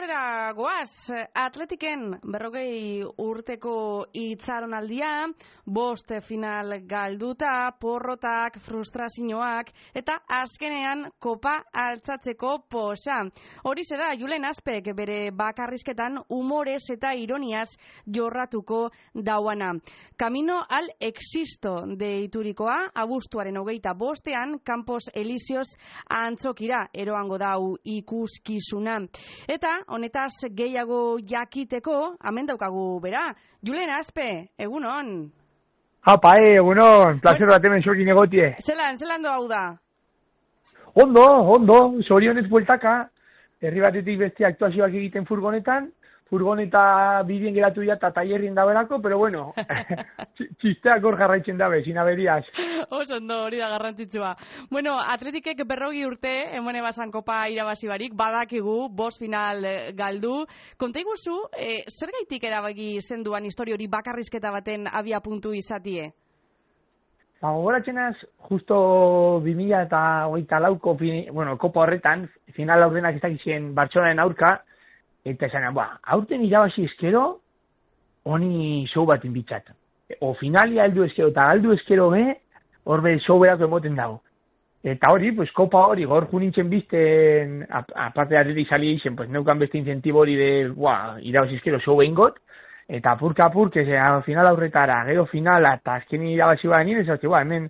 aurrera goaz, Atletiken 40 urteko itxaronaldia, 5 final galduta, porrotak, frustrazioak, eta azkenean kopa altzatzeko posa. Horixe da, Julen Aspek bere bakarrizketan humorez eta ironiaz jorratuko dauana. Camino al Existo deiturikoa, abuztuaren 25ean, Campos Elíseos antzokira eroango dau ikuskizuna. Eta honetaz gehiago jakiteko, hemen daukagu bera. Julen Aspe, egunon. Hapa, egunon, placer bat hemen zokin egotie. Zelan doa da? Ondo, zorionez bueltaka, herri batetik beste aktuazioak egiten furgoneta bidien geratu dira eta taierrien daberako, pero bueno, txisteak hor jarraitzen dabe, sin aberiaz. Ondo, hori da garrantzitsua. Bueno, Atletikek 40 urte, emone basan kopa irabazi barik, badakigu, 5 final galdu. Konta iguzu, zer gaitik erabaki zenduan histori hori bakarrizketa baten abia puntu izatie? Gogoratzenaz, justo 2024ko, kopa horretan, final aurrenak ez dakizien Bartzelonaren aurka, eta esan, aurten irabazi eskero, honi show bat inbitzat. O finalia heldu eskero eta galdu eskero horbe show berako emoten dago. Eta hori, pues, kopa hori, gaur junintzen bizten, aparte de Atletik sali izen, pues, neukan beste incentibo hori de, irabazi eskero show behingot, eta apurka, final aurretara, gero finala, eta azkenin irabazi bat nien, ez hemen,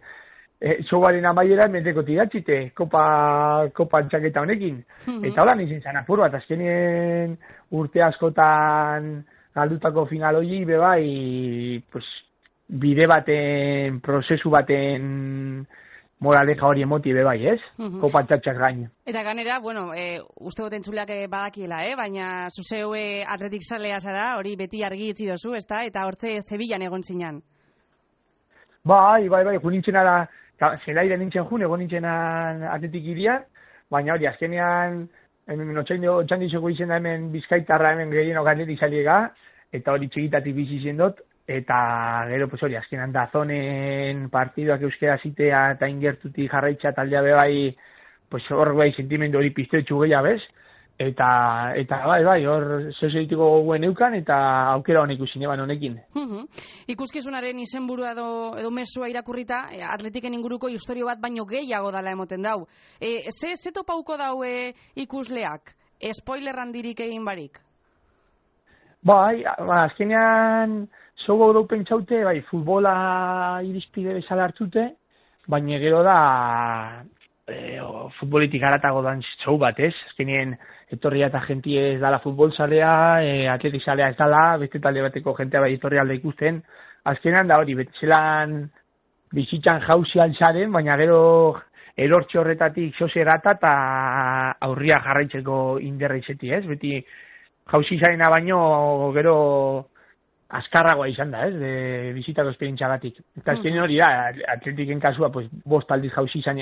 showaren amaiera menteko tiratxite, kopa antxaketa honekin. Eta hola nintzen zan apur bat, azkenien urte askotan galdutako final hori, bebai, pues, bide baten, prozesu baten moraleja hori emoti bebai, ez? Kopa antxaketaz gain. Eta ganera, uste dut entzuleak badakiela, baina zuzeue Atletik zalea zara, hori beti argi itzi dozu, ezta? Eta hortze Zebillan egon zinan. Bai, junintzen ara, zelaire nintzen egon nintzen Atletik irian, baina hori, azkenean, otxandizoko izen da hemen Bizkaitarra hemen gehienok Atletik zaliega, eta hori txikitatik bizi zendot, eta gero, pues hori, azkenean dazonen partiduak euskera zitea eta ingertutik jarraitza taldea bebai, pues hor bai sentimendu hori piztetxu gehiago bez, eta bai, hor zeuzeitiko guen eukan, eta aukera honek usin eban honekin. Ikuskizunaren izenburua edo mesua irakurrita, Atletiken inguruko historio bat baino gehiago dala emoten dau. Ze topauko dau ikusleak? Spoiler handirik egin barik? Bai, azkenean zogo dau pentsaute, bai, futbola irizpide bezala hartzute, baina gero da futbolitik haratago dan show bat, ez? Azkenien etorria eta jentie ez dala futbol zalea, Atletik zalea ez dala, beste talde bateko jentea bai etorri alde ikusten. Azkenean da hori, betzelan bizitzan jauzi altzaren, baina gero erortxe horretatik zoze erata eta aurria jarraitzeko inderra izeti, ez? Beti jauzi zarena baino gero azkarragoa izan da, ez, de bizitako esperientzia batik. Eta azkenean hori da, Atletiken kasua, pues, 5 aldiz jauzi izan,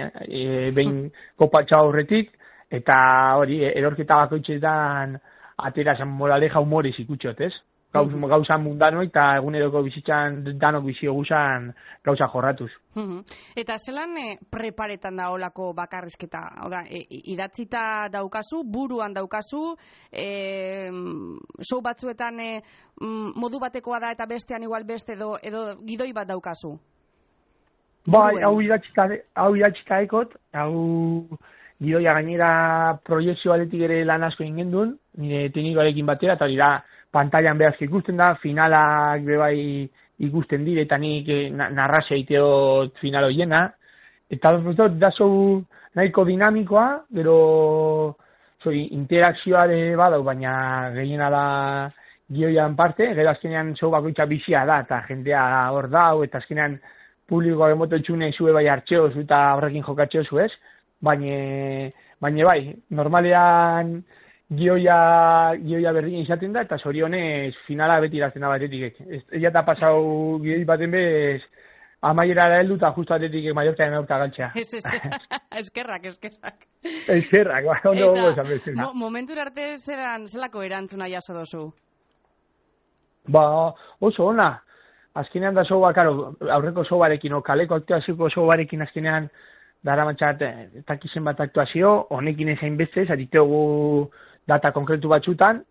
behin kopatxa horretik, eta hori, erorketa bakoitzetan atera zan moraleja humorez ikutxot, ez? Gauza mundano eta eguneroko bizitzan danok bizio guzan gauza jorratuz. Eta zelan preparetan da olako bakarrizketa? Oda, idatzita daukazu, buruan daukazu, show batzuetan modu batekoa da eta bestean igual beste edo gidoi bat daukazu? Bai, hau idatzita ekot, hau gidoia gainera proiektzio aletik ere lan asko ingen duen, nire teknikoarekin batera, eta hori da, pantailan behaz ikusten da, finalak bebai ikusten dire, eta nik narrazia iteot final hoiena, eta da zau nahiko dinamikoa, gero interakzioare badau, baina gehiena da gioian parte, gero azkenean zau bakoitza bizia da, eta jendea hor dau, eta azkenean publikoak emoto txune zue bai hartxeozu eta horrekin jokatxeozu ez, baina bai, normalean gioia berdin izaten da, eta zorionez finala beti irazten da batetik. Ella eta pasau gioi baten bez, amaiera da heldu eta justu Atletik Mallorcaren aurka galtzea. Eskerrak. Eskerrak, ondo gogo esan bezala. Momentur arte zelako erantzuna jaso dozu? Oso ona. Azkenean da soba, aurreko sobarekin, kaleko aktuaziko sobarekin azkenean dara matxat, takizen bat aktuazio, honekin ezain beste, zaritegu data konkretu batzutan,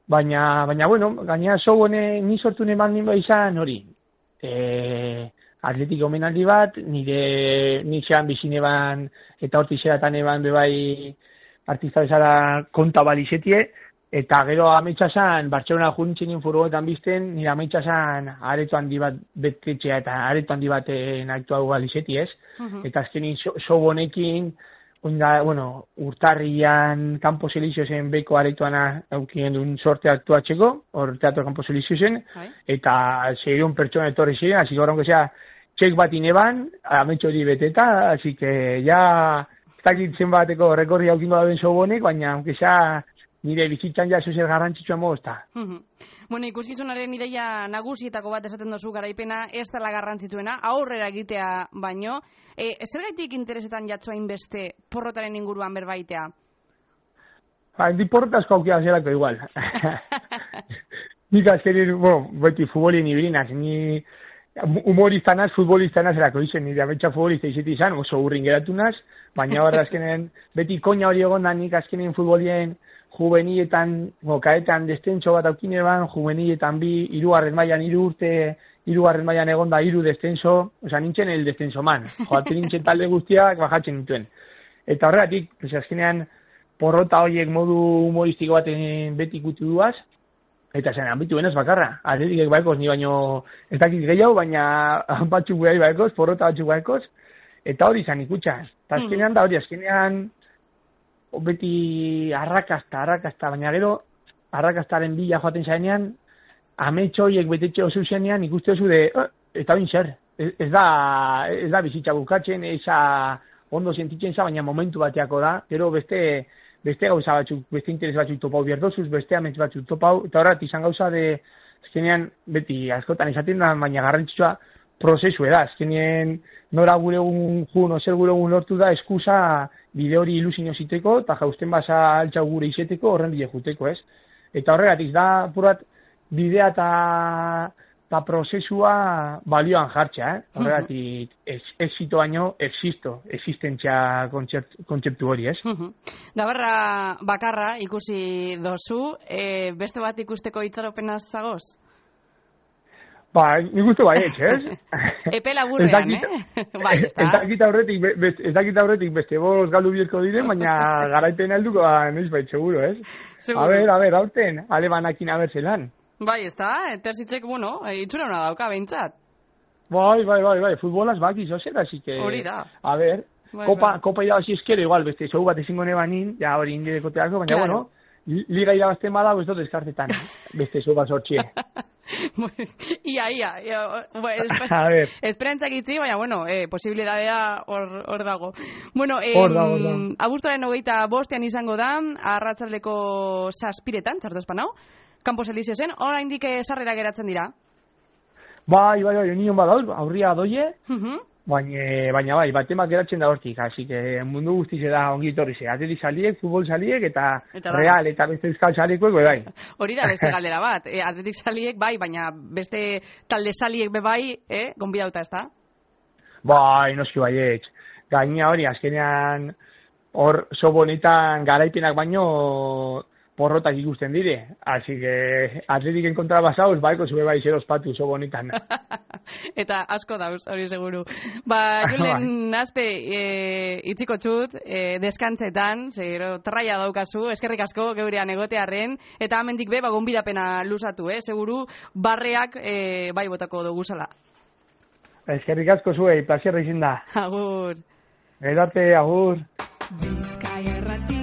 baina bueno, gaina sobone ni sortu neman nima izan hori. Atletik omenaldi bat, nik zean bizineban eta horti zeratan eban bebai artista bezala konta balizetie, eta gero ametsasan, Bartzelona juntzinen furgoetan bizten, nire ametsasan areto handi bat betetxea eta areto handi baten aktua balizeti, ez? Eta azkenin sobonekin, urtarrian Campo Elíseo zen beko aretoana aukien duen sorte aktuatzeko, hor teatro Campo Elíseo zen, eta zeiron pertsona etorri ziren, así que horrengo zea, txek bat ineban, ametxo hori beteta, así que ya, ez dakitzen bateko rekorri haukin baduen sobonek, baina, aunque sea, nire bizitzan ja zer garrantzitsua mozta. Bueno, ikuskizunaren ideia nagusietako bat esaten dozu garaipena ez dela garrantzitsuena, aurrera egitea baino. Zergaitik interesetan jatzoa inbeste porrotaren inguruan berbaitea? Di porrota asko aukia zelako igual. Nik azkenin, beti futbolien ibilinak, ni humoriztanaz, futboliztanaz erako izen, nire ametsa futbolista izeti izan, oso urrin geratu naz, baina horra azkenen, beti koina hori egon da nik azkenen futbolien juvenietan, kaetan destentso bat aukineban, juvenietan hirugarren mailan 3 urte, hirugarren mailan egon da 3 descenso, oza, nintzen el descenso man, joaten nintzen talde guztiak bajatzen nintuen. Eta horregatik, azkenean, porrota horiek modu humoristiko baten beti ikutu duaz, eta zen, ambitu benaz bakarra, atletikek baekoz, ni baino ez dakit gehiago, baina batzuk behar baekoz, porrota batzuk baekoz, eta hori izan ikutsa. Eta azkenean da hori, azkenean, beti arrakasta, baina gero arrakastaren bila joaten zaenean, ametxo horiek betetxe oso zenean ikuste oso eta bin zer, ez da bizitza bukatzen, eza ondo sentitzen za, baina momentu bateako da, gero beste gauza batzuk, beste interes batzuk topau bierdozuz, beste amets batzuk topau, eta horret izan gauza de, azkenean beti askotan esaten da, baina garrantzitsua prozesu da, azkenean nora gure egun jun, ozer gure egun lortu da, eskusa bide hori ilusio ziteko, eta jausten basa altxau gure izeteko, horren bide juteko, ez? Eta horregatik da, purat, bidea eta prozesua balioan jartxa, horregatik exito baino, existentzia kontzeptu hori, ez? Dabarra bakarra ikusi dozu, beste bat ikusteko itxaropenaz zagoz? Nik uste baietz, ez? Epe laburrean, Bai, ez da. Ez dakit aurretik beste boz galdu bierko diren, baina garaipen helduko noiz bait, seguro, ez? A ver, aurten, alebanakin abertzelan. Bai, ez da, terzitzek, itxura hona dauka, behintzat. Bai, futbolaz baki zozera, así que... Hori da. A ver, kopa irabazi eskero, igual, beste, zogu bat ezingo nebanin, ja hori indirekoteako, baina, bueno, liga irabazten bada, ez dut eskartetan, beste zogu bat sortxie. Ia. Esperantzak itzi, baina, posibilidadea hor dago. Bueno, abuztuaren 25 izango da, arratsaldeko 7:00, txartu espanau, Campos Elíseo zen, oraindik sarrera geratzen dira? Bai, union badauz, aurria doie, baina bai, batemak geratzen da hortik, así que mundu guztiz da ongi etorri ze, atletik saliek, futbol saliek, eta real, eta beste euskal salieko, bai. Hori da beste galdera bat, atletik saliek bai, baina beste talde saliek bai, gonbidauta ez da? Bai, noski baietz. Gaina hori, azkenean, hor sobonetan garaipenak baino porrotak ikusten dire. Así que atletiken kontra basauz, baiko zube bai zer ospatu sobonetan. Eta asko dauz, hori seguru. Julen Azpe, itziko txut, deskantzetan, zero traia daukazu, eskerrik asko geurean egotearren, eta amendik be, gonbidapena luzatu, seguru, barreak bai botako duguzala. Eskerrik asko zuei, plazierra izin da. Agur. Edarte, agur. Bizkaia Erratia